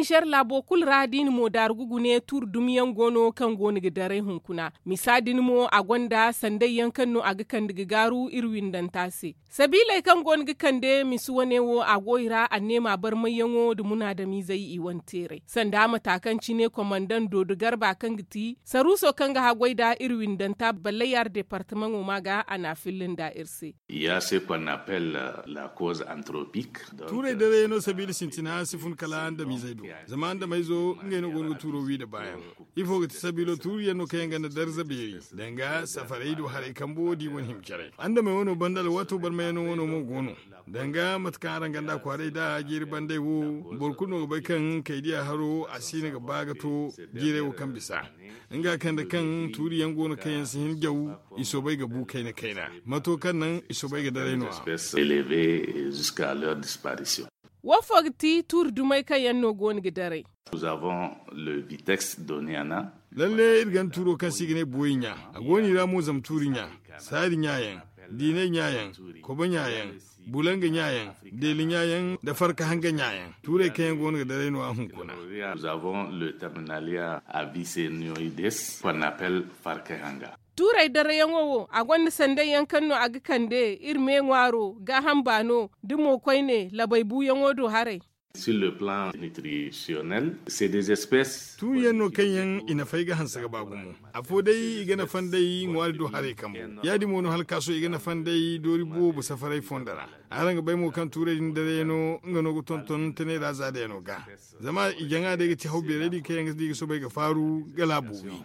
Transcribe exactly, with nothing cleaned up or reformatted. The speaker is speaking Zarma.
Ser laabo kulu ra da i na mo daaru ga gune tuuri dumi yaŋ go no kaŋ go no ga daray hunkuna. Misa din mo a gonda sanday yaŋ kaŋ no a ga kande ga gaaru iri windanta se. Sabiiley kaŋ go no ga kande misa wane wo a go i ra anneema barmayyaŋo nda munaadamizey i wane teeray sanda mata kaŋ cine komandaŋ doodo garba kaŋ ga ti saruuso kaŋ ga haggoy nda iri windanta ballayar departamaŋo ma ga a n'a filla nda iri se. Ya se qu'on appelle la cause anthropique. Tuurey daray no sabiila sintina si fun kala andamizey do. Zama andamey zo ngey no go no ga tuuro wi nda baayaŋ. Ifo ga ti sabiilo tuuriyaŋ no kaŋ yaŋ ganda darza beeri danga safarey do haray kambo da i wane hima caray andamey wano banda alwaato barmayaŋo wano mo go no. Danga mate kaŋ araŋ ganda kwaaray da jeeri bandey wo, boro kulu no ga bay kaŋ kaydiya haro a si no ga ba ga to jeeray wo kaŋ bisa. Nga kaŋ da kaŋ tuuriyaŋ go no kaŋ yaŋ si hin jaw, i soobay ga bu kayna kayna. Mato kaŋ naŋ i soobay ga daray no a. Wo fo ga ti tuuri dumey kaŋ yaŋ no go no ga daray. Lalle iri ganda tuuro kaŋ se i ga ne booyi ɲa. A go no i ra mo zama tuuri ɲa, saari ɲa yaŋ, diinay ɲa yaŋ, kobo ɲa yaŋ, bulanga ɲa yaŋ, deeli ɲa yaŋ nda farka hanga ɲa yaŋ. Tuurey kaŋ yaŋ go no ga daray no a hunkuna. Tuurey darayaŋo wo a gonda sanday yaŋ kaŋ no a ga kande iri me ŋwaaro gaaham baano da mo koyne labay buuyaŋo do haray. Tuuriyaŋ no kaŋ yaŋ i nafay ga hanse ga ba gumo. Afo day i ga nafa nd'ey ŋwaari do haray kambo. Ya- din mo no hala kaaso i ga nafa nd'ey doori boobo safaray fondo ra. Araŋ ga bay mo kaŋ tuurey din daray no nga no ga tonton tanay ra za day no ga. Zama i jaŋa day ga ti haw beerey din kaŋ yaŋ ga di ga soobay ga faaru ga laabo wi.